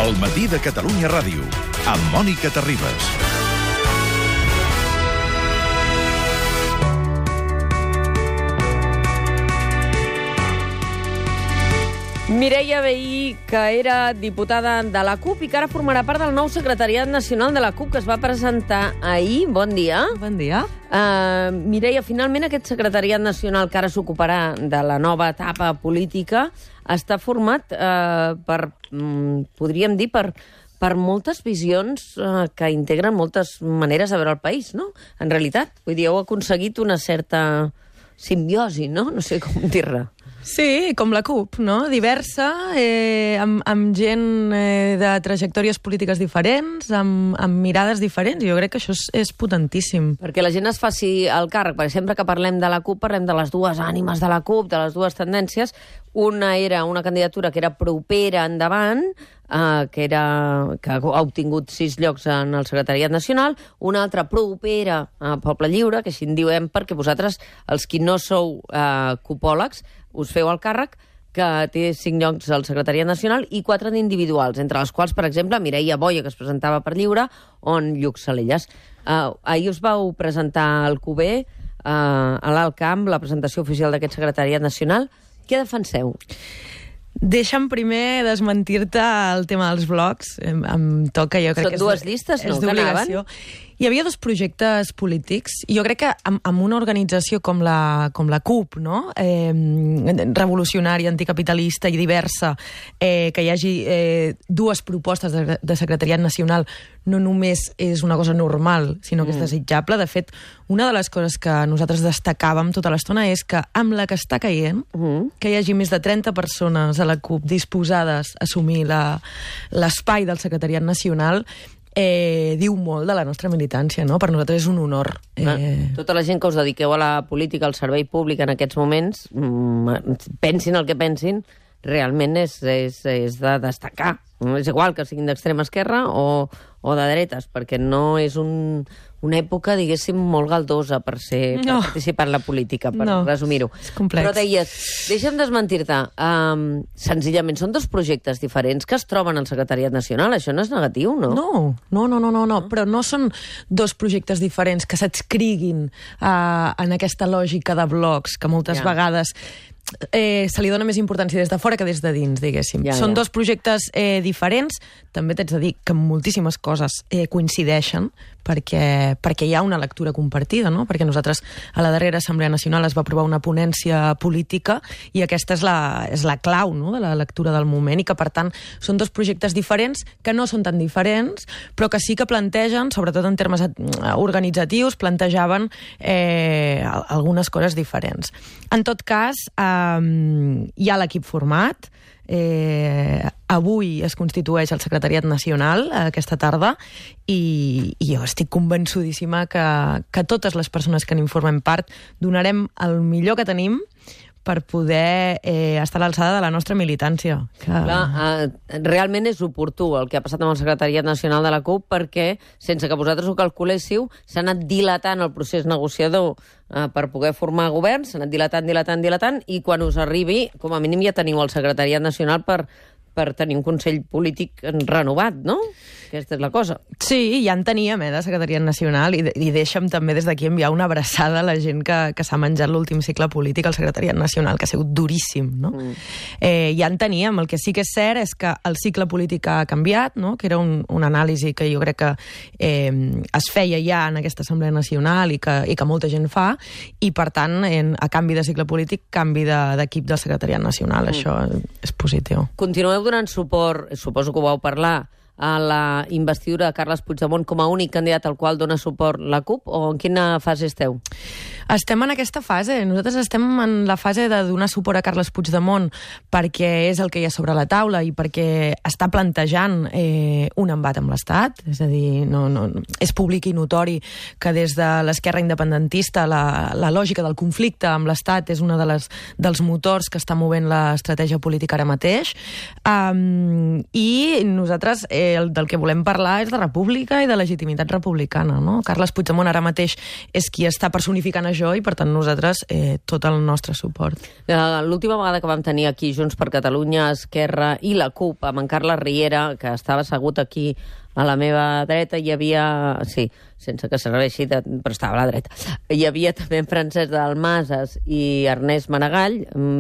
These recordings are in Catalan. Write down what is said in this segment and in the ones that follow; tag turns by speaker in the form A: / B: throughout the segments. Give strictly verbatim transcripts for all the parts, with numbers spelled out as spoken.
A: El matí de Catalunya Ràdio, amb Mònica Terribas.
B: Mireia Vehí, que era diputada de la CUP i que ara formarà part del nou secretariat nacional de la CUP, que es va presentar ahir. Bon dia.
C: Bon dia.
B: Uh, Mireia, finalment aquest secretariat nacional que ara s'ocuparà de la nova etapa política està format uh, per, um, podríem dir, per, per moltes visions uh, que integren moltes maneres de veure el país, no? En realitat, vull dir, heu aconseguit una certa simbiosi, no? No sé com dir-ne.
C: Sí, com la CUP, no? Diversa, eh, amb, amb gent eh, de trajectòries polítiques diferents, amb, amb mirades diferents. Jo crec que això és, és potentíssim.
B: Perquè la gent es faci el càrrec, perquè sempre que parlem de la CUP parlem de les dues ànimes de la CUP, de les dues tendències. Una era una candidatura que era propera endavant, eh, que, era, que ha obtingut sis llocs en el secretariat nacional, una altra propera a Poble Lliure, que així en diuen perquè vosaltres, els qui no sou eh, cupòlegs, us feu el càrrec, que té cinc llocs al secretariat nacional i quatre d'individuals, entre les quals, per exemple, Mireia Boia, que es presentava per Lliure, on Lluc Salellas. Uh, ahir us vau presentar al Q B, uh, a l'Alt Camp, la presentació oficial d'aquest secretariat nacional. Què defenseu?
C: Deixa'm primer desmentir-te el tema dels blocs. Em, em toca, jo crec
B: Són
C: que és...
B: dues llistes, no?
C: És d'obligació. Hi havia dos projectes polítics, i jo crec que amb, amb una organització com la, com la CUP, no? eh, revolucionària, anticapitalista i diversa, eh, que hi hagi eh, dues propostes de, de secretariat nacional, no només és una cosa normal, sinó que mm. és desitjable. De fet, una de les coses que nosaltres destacàvem tota l'estona és que amb la que està caient, mm. que hi hagi més de trenta persones a la CUP disposades a assumir la, l'espai del secretariat nacional, Eh, diu molt de la nostra militància, no? Per nosaltres és un honor.
B: Eh... Tota la gent que us dediqueu a la política, al servei públic en aquests moments, mmm, pensin el que pensin, realment és, és, és de destacar. És igual que siguin d'extrema esquerra o, o de dretes, perquè no és un, una època, diguéssim, molt galdosa per, ser, per no. participar en la política, per no. resumir-ho.
C: És complex.
B: Però deies, deixa'm desmentir-te, um, senzillament són dos projectes diferents que es troben al secretariat nacional, això no és negatiu, no?
C: No, no, no, no, no, no. però no són dos projectes diferents que s'adscriguin uh, en aquesta lògica de blocs que moltes ja. vegades... Eh, se li dona més importància des de fora que des de dins, diguéssim. Ja, Són ja. dos projectes eh, diferents, també t'haig de dir que moltíssimes coses eh, coincideixen, perquè, perquè hi ha una lectura compartida, no? Perquè nosaltres a la darrera Assemblea Nacional es va aprovar una ponència política i aquesta és la, és la clau, no?, de la lectura del moment, i que per tant són dos projectes diferents que no són tan diferents, però que sí que plantegen, sobretot en termes organitzatius, plantejaven eh, algunes coses diferents. En tot cas, eh, hi ha l'equip format. Eh, avui es constitueix el secretariat nacional eh, aquesta tarda i, i jo estic convençudíssima que, que totes les persones que n'informem part donarem el millor que tenim per poder eh, estar a l'alçada de la nostra militància. Que...
B: Clar, eh, realment és oportú el que ha passat amb el secretariat nacional de la CUP, perquè, sense que vosaltres ho calculéssiu, s'ha anat dilatant el procés negociador eh, per poder formar govern, s'ha anat dilatant, dilatant, dilatant, i quan us arribi, com a mínim ja teniu el secretariat nacional per, per tenir un consell polític renovat, no? Aquesta és la cosa.
C: Sí, ja en teníem, eh, de secretariat nacional, i, i deixa'm també des d'aquí enviar una abraçada a la gent que, que s'ha menjat l'últim cicle polític al secretariat nacional, que ha sigut duríssim, no? Mm. Eh, ja en teníem. El que sí que és cert és que el cicle polític ha canviat, no?, que era un, una anàlisi que jo crec que eh, es feia ja en aquesta Assemblea Nacional i que, i que molta gent fa, i per tant, en, a canvi de cicle polític, canvi d'equip de, del secretariat nacional. Mm. Això és positiu.
B: Continueu donant suport, suposo que ho vau parlar, a la investidura de Carles Puigdemont com a únic candidat al qual dona suport la CUP, o en quina fase esteu?
C: Estem en aquesta fase. Nosaltres estem en la fase de donar suport a Carles Puigdemont perquè és el que hi ha sobre la taula i perquè està plantejant eh, un embat amb l'Estat. És a dir, no, no, és públic i notori que des de l'esquerra independentista la, la lògica del conflicte amb l'Estat és una de les, dels motors que està movent l'estratègia política ara mateix. Um, I nosaltres eh, el, del que volem parlar és de república i de legitimitat republicana, no? Carles Puigdemont ara mateix és qui està personificant a major i, per tant, nosaltres eh, tot el nostre suport.
B: L'última vegada que vam tenir aquí Junts per Catalunya, Esquerra i la CUP, amb en Carles Riera, que estava assegut aquí a la meva dreta, hi havia... Sí, sense que serveixi, de... però estava a la dreta. Hi havia també en Francesc Dalmases i Ernest Maragall.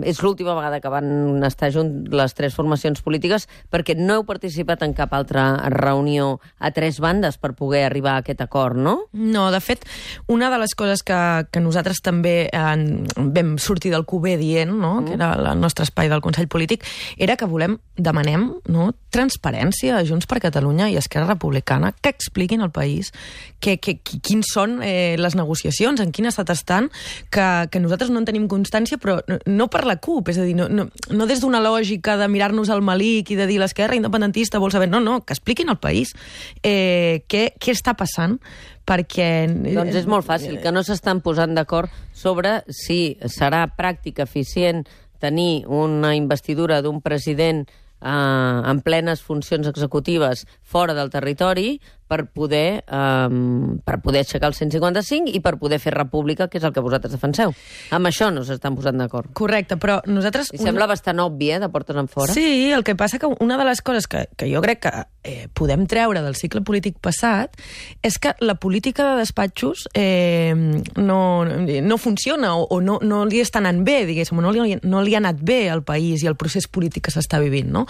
B: És l'última vegada que van estar junts les tres formacions polítiques, perquè no heu participat en cap altra reunió a tres bandes per poder arribar a aquest acord, no?
C: No, de fet, una de les coses que, que nosaltres també en, vam sortir del Q B dient, no? Mm. que era el nostre espai del Consell Polític, era que volem, demanem, no? transparència a Junts per Catalunya i Esquerra Republicana, que expliquin al país que, que, quins són eh, les negociacions, en quin estat estan, que, que nosaltres no en tenim constància, però no, no per la CUP, és a dir, no, no, no des d'una lògica de mirar-nos al malic i de dir l'esquerra independentista vol saber, no, no, que expliquin al país eh, què, què està passant, perquè...
B: Doncs és molt fàcil, que no s'estan posant d'acord sobre si serà pràctic, eficient, tenir una investidura d'un president Uh, en plenes funcions executives fora del territori per poder, um, per poder aixecar el cent cinquanta-cinc i per poder fer república, que és el que vosaltres defenseu. Amb això no s'estan posant d'acord.
C: Correcte, però nosaltres...
B: I sembla una... bastant obvi, eh, de portes en fora.
C: Sí, el que passa que una de les coses que, que jo crec que eh, podem treure del cicle polític passat és que la política de despatxos eh, no, no funciona o, o no, no li està anant bé, diguéssim, no li, no li ha anat bé al país i al procés polític que s'està vivint, no?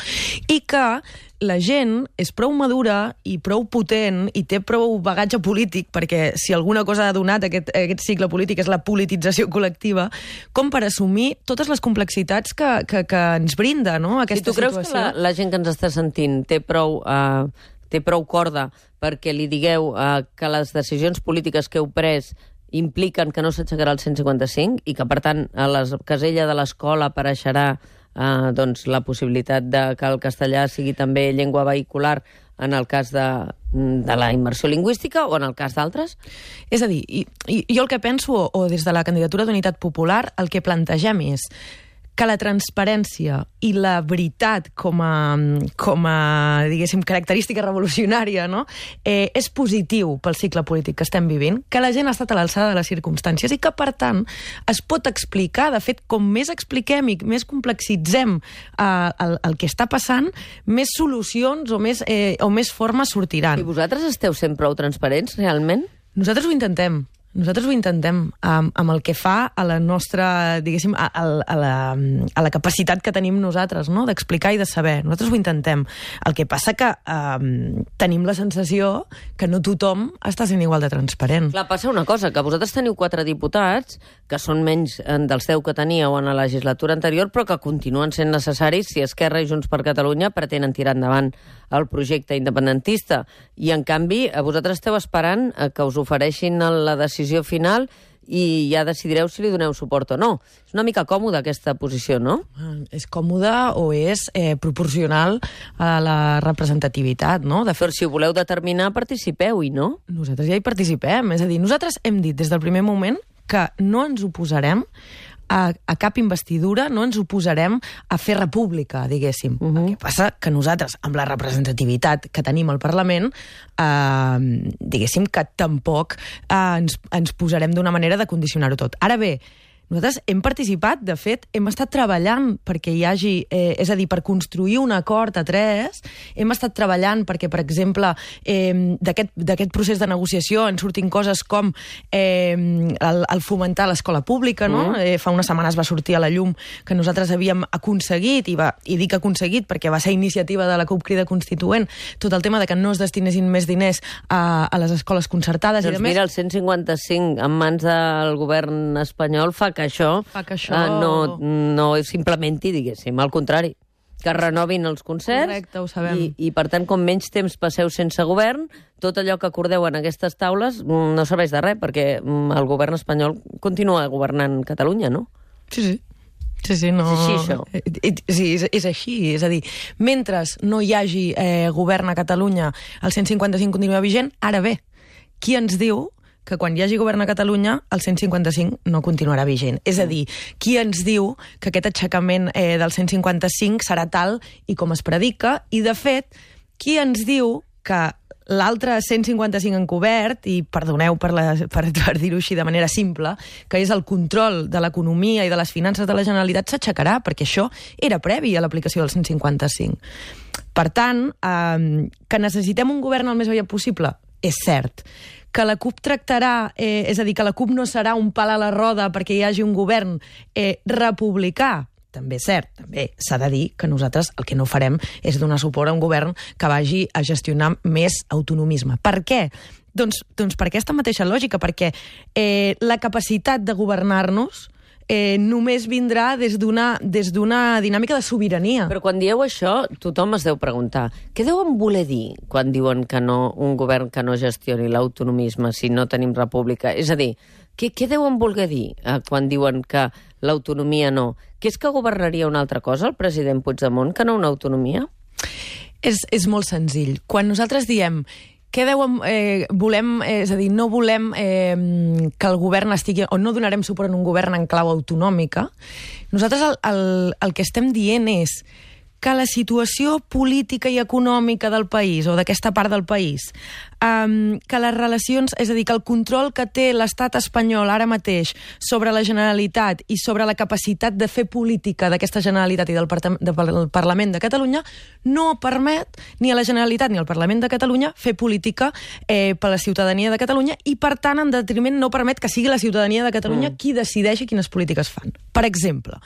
C: I que la gent és prou madura i prou potent i té prou bagatge polític, perquè si alguna cosa ha donat aquest, aquest cicle polític és la politització col·lectiva, com per assumir totes les complexitats que, que, que ens brinda, no?, aquesta situació. I tu creus
B: situació. que la, la gent que ens està sentint té prou, uh, té prou corda perquè li digueu uh, que les decisions polítiques que heu pres impliquen que no s'aixecarà el cent cinquanta-cinc i que, per tant, a la casella de l'escola apareixerà Uh, doncs, la possibilitat de que el castellà sigui també llengua vehicular en el cas de, de la immersió lingüística o en el cas d'altres?
C: És a dir, i, i, jo el que penso, o, o des de la candidatura d'Unitat Popular, el que plantegem és que la transparència i la veritat com a, com a diguéssim, característica revolucionària, no? eh, és positiu pel cicle polític que estem vivint, que la gent ha estat a l'alçada de les circumstàncies i que, per tant, es pot explicar. De fet, com més expliquem i més complexitzem eh, el, el que està passant, més solucions o més, eh, o més formes sortiran.
B: I vosaltres esteu sent prou transparents, realment?
C: Nosaltres ho intentem. Nosaltres ho intentem amb, amb el que fa a la nostra, diguéssim, a, a, a, la, a la capacitat que tenim nosaltres, no?, d'explicar i de saber. Nosaltres ho intentem. El que passa que um, tenim la sensació que no tothom està sent igual de transparent.
B: Clar, passa una cosa, que vosaltres teniu quatre diputats, que són menys dels deu que teníeu en la legislatura anterior, però que continuen sent necessaris si Esquerra i Junts per Catalunya pretenen tirar endavant el projecte independentista. I, en canvi, vosaltres esteu esperant que us ofereixin la decisió final i ja decidireu si li doneu suport o no. És una mica còmoda aquesta posició, no?
C: És còmoda o és eh, proporcional a la representativitat, no? De fet,
B: però si ho voleu determinar, participeu-hi, no?
C: Nosaltres ja hi participem. És a dir, nosaltres hem dit des del primer moment que no ens oposarem a, a cap investidura, no ens oposarem a fer república, diguéssim. Uh-huh. El que passa que nosaltres, amb la representativitat que tenim al Parlament, eh, diguéssim que tampoc eh, ens, ens posarem d'una manera de condicionar-ho tot. Ara bé, nosaltres hem participat, de fet, hem estat treballant perquè hi hagi, eh, és a dir, per construir un acord a tres, hem estat treballant perquè, per exemple, eh, d'aquest procés de negociació en surtin coses com eh, el, el fomentar l'escola pública, no? Mm. Eh, fa unes setmanes va sortir a la llum que nosaltres havíem aconseguit, i, va, i dic aconseguit perquè va ser iniciativa de la CUP Crida Constituent, tot el tema de que no es destinessin més diners a, a les escoles concertades.
B: Doncs
C: i
B: mira, el cent cinquanta-cinc en mans del govern espanyol fa que que això,
C: fa que això...
B: Uh, no, no s'implementi, diguéssim, al contrari, que renovin els concerts.
C: Correcte, ho sabem.
B: I, i per tant, com menys temps passeu sense govern, tot allò que acordeu en aquestes taules no serveix de res, perquè el govern espanyol continua governant Catalunya, no?
C: Sí, sí. Sí, sí, no...
B: És així, això.
C: Sí, és, és així. És a dir, mentre no hi hagi eh, govern a Catalunya, el cent cinquanta-cinc continua vigent. Ara bé, qui ens diu que quan hi hagi govern a Catalunya el cent cinquanta-cinc no continuarà vigent? És a dir, qui ens diu que aquest aixecament eh, del cent cinquanta-cinc serà tal i com es predica? I, de fet, qui ens diu que l'altre cent cinquanta-cinc encobert, i perdoneu per, la, per, per dir-ho així de manera simple, que és el control de l'economia i de les finances de la Generalitat, s'aixecarà, perquè això era previ a l'aplicació del cent cinquanta-cinc. Per tant, eh, que necessitem un govern el més aviat possible, és cert. Que la CUP tractarà, eh, és a dir, que la CUP no serà un pal a la roda perquè hi hagi un govern eh, republicà, també és cert, també s'ha de dir que nosaltres el que no farem és donar suport a un govern que vagi a gestionar més autonomisme. Per què? Doncs, doncs per aquesta mateixa lògica, perquè eh, la capacitat de governar-nos eh, només vindrà des d'una des d'una dinàmica de sobirania.
B: Però quan dieu això, tothom es deu preguntar què deuen voler dir quan diuen que no, un govern que no gestioni l'autonomisme si no tenim república? És a dir, què, què deuen voler dir eh, quan diuen que l'autonomia no? Que és que governaria una altra cosa el president Puigdemont que no una autonomia?
C: És, és molt senzill. Quan nosaltres diem què deuen, eh, volem, eh, és a dir, no volem eh, que el govern estigui, o no donarem suport a un govern en clau autonòmica, nosaltres el, el, el que estem dient és que la situació política i econòmica del país, o d'aquesta part del país, um, que les relacions, és a dir, que el control que té l'estat espanyol ara mateix sobre la Generalitat i sobre la capacitat de fer política d'aquesta Generalitat i del, del Parlament de Catalunya no permet ni a la Generalitat ni al Parlament de Catalunya fer política eh, per la ciutadania de Catalunya i, per tant, en detriment no permet que sigui la ciutadania de Catalunya mm. qui decideixi quines polítiques fan. Per exemple,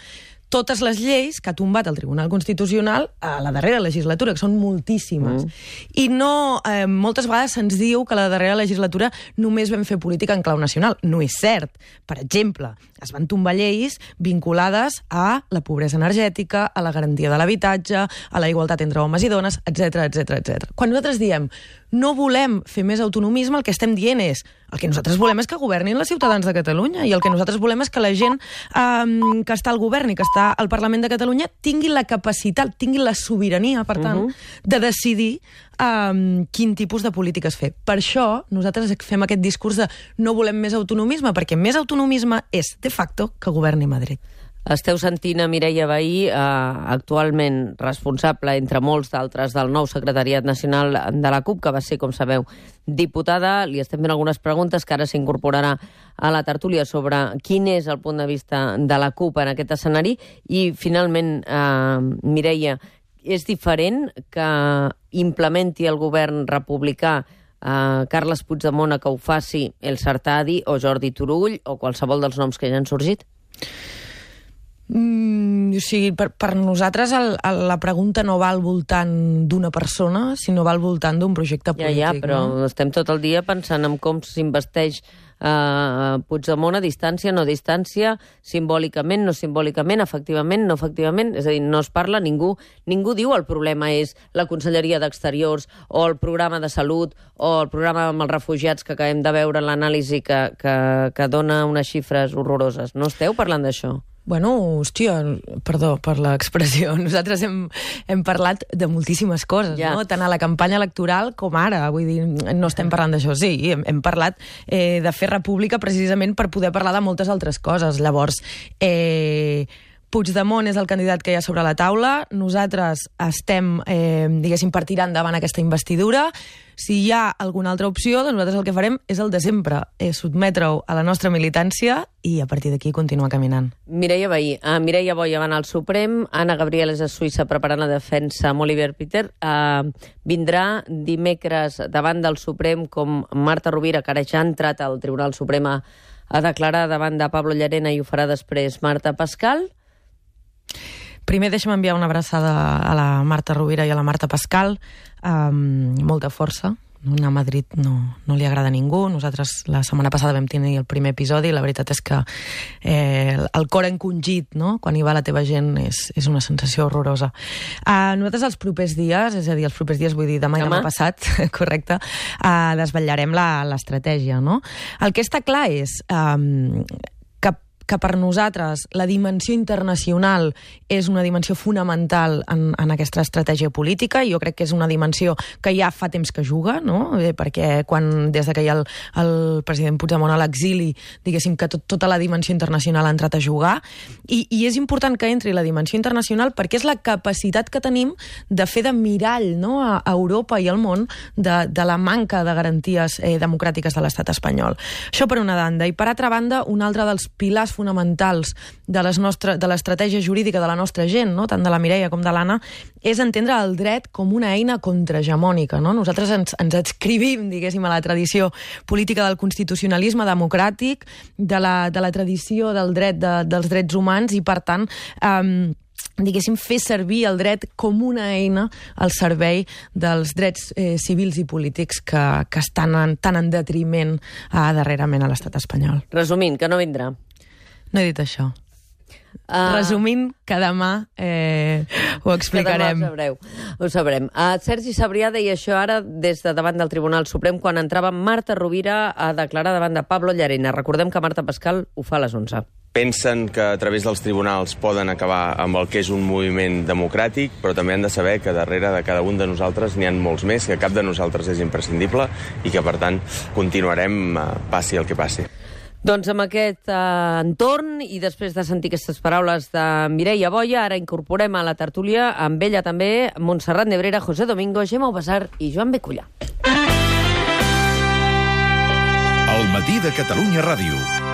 C: totes les lleis que ha tombat el Tribunal Constitucional a la darrera legislatura, que són moltíssimes. Mm. I no, eh, moltes vegades se'ns diu que a la darrera legislatura només vam fer política en clau nacional. No és cert. Per exemple, es van tombar lleis vinculades a la pobresa energètica, a la garantia de l'habitatge, a la igualtat entre homes i dones, etcètera, etcètera, etcètera. Quan nosaltres diem no volem fer més autonomisme, el que estem dient és el que nosaltres volem és que governin els ciutadans de Catalunya i el que nosaltres volem és que la gent um, que està al govern i que està al Parlament de Catalunya tingui la capacitat, tingui la sobirania, per tant, uh-huh. de decidir um, quin tipus de polítiques fer. Per això nosaltres fem aquest discurs de no volem més autonomisme, perquè més autonomisme és, de facto, que governi Madrid.
B: Esteu sentint a Mireia Vehí, eh, actualment responsable, entre molts d'altres, del nou secretariat nacional de la CUP, que va ser, com sabeu, diputada. Li estem fent algunes preguntes que ara s'incorporarà a la tertúlia sobre quin és el punt de vista de la CUP en aquest escenari. I, finalment, eh, Mireia, és diferent que implementi el govern republicà eh, Carles Puigdemont a que ho faci el Sartadi o Jordi Turull o qualsevol dels noms que ja han sorgit?
C: Mm, o sigui, per, per nosaltres el, el, la pregunta no va al voltant d'una persona, sinó va al voltant d'un projecte polític.
B: Ja, ja, però
C: no?
B: Estem tot el dia pensant en com s'investeix uh, Puigdemont a distància, no a distància, simbòlicament, no simbòlicament, efectivament, no efectivament. És a dir, no es parla, ningú, ningú diu el problema és la Conselleria d'Exteriors o el programa de salut o el programa amb els refugiats que acabem de veure en l'anàlisi que, que, que dona unes xifres horroroses. No esteu parlant d'això?
C: Bueno, hòstia, perdó per l'expressió. Nosaltres hem, hem parlat de moltíssimes coses, ja. no? Tant a la campanya electoral com ara. Vull dir, no estem parlant d'això, sí. Hem, hem parlat eh, de fer república precisament per poder parlar de moltes altres coses. Llavors, eh, Puigdemont és el candidat que hi ha sobre la taula. Nosaltres estem, eh, diguéssim, per tirar endavant aquesta investidura. Si hi ha alguna altra opció, doncs nosaltres el que farem és el de sempre, és sotmetre-ho a la nostra militància i a partir d'aquí continuar caminant.
B: Mireia Vehí, uh, Mireia Boya va anar al Suprem, Anna Gabriel és a Suïssa preparant la defensa amb Oliver Peter. Uh, vindrà dimecres davant del Suprem com Marta Rovira, que ara ja ha entrat al Tribunal Suprem a, a declarar davant de Pablo Llarena, i ho farà després Marta Pascal.
C: Primer deixa'm enviar una abraçada a la Marta Rovira i a la Marta Pascal, amb molta força. Anar a Madrid no, no li agrada a ningú. Nosaltres la setmana passada vam tenir el primer episodi i la veritat és que eh, el cor encongit, no?, quan hi va la teva gent, és, és una sensació horrorosa. Uh, nosaltres els propers dies, és a dir, els propers dies vull dir demà i demà passat, correcte, uh, desvetllarem l'estratègia, no? El que està clar és um, que que per nosaltres la dimensió internacional és una dimensió fonamental en, en aquesta estratègia política, i jo crec que és una dimensió que ja fa temps que juga, no? Eh, perquè quan, des de que hi ha el, el president Puigdemont a l'exili, diguéssim que tot, tota la dimensió internacional ha entrat a jugar, i, i és important que entri la dimensió internacional perquè és la capacitat que tenim de fer de mirall, no?, a, a Europa i al món de, de la manca de garanties eh, democràtiques de l'estat espanyol. Això per una banda. I per altra banda, un altre dels pilars fonamentals de les nostre, de l'estratègia jurídica de la nostra gent, no?, tant de la Mireia com de l'Anna, és entendre el dret com una eina contrahegemònica, no? Nosaltres ens, ens adscrivim, diguéssim, a la tradició política del constitucionalisme democràtic, de la, de la tradició del dret de, dels drets humans, i per tant eh, diguéssim, fer servir el dret com una eina al servei dels drets eh, civils i polítics que, que estan en, tan en detriment eh, darrerament a l'estat espanyol.
B: Resumint, que no vindrà.
C: No he dit això. Uh, Resumint, que demà eh, ho explicarem.
B: Que demà ho sabreu. Ho sabrem. Uh, Sergi Sabrià deia això ara des de davant del Tribunal Suprem quan entrava Marta Rovira a declarar davant de Pablo Llarena. Recordem que Marta Pascal ho fa a les onze.
D: Pensen que a través dels tribunals poden acabar amb el que és un moviment democràtic, però també han de saber que darrere de cada un de nosaltres n'hi ha molts més, que cap de nosaltres és imprescindible i que, per tant, continuarem uh, passi el que passi.
B: Doncs amb aquest eh, entorn, i després de sentir aquestes paraules de Mireia Boya, ara incorporem a la tertúlia amb ella també Montserrat Nebrera, José Domingo, Gemma Ubasar i Joan Becullà.
A: El matí de Catalunya Ràdio.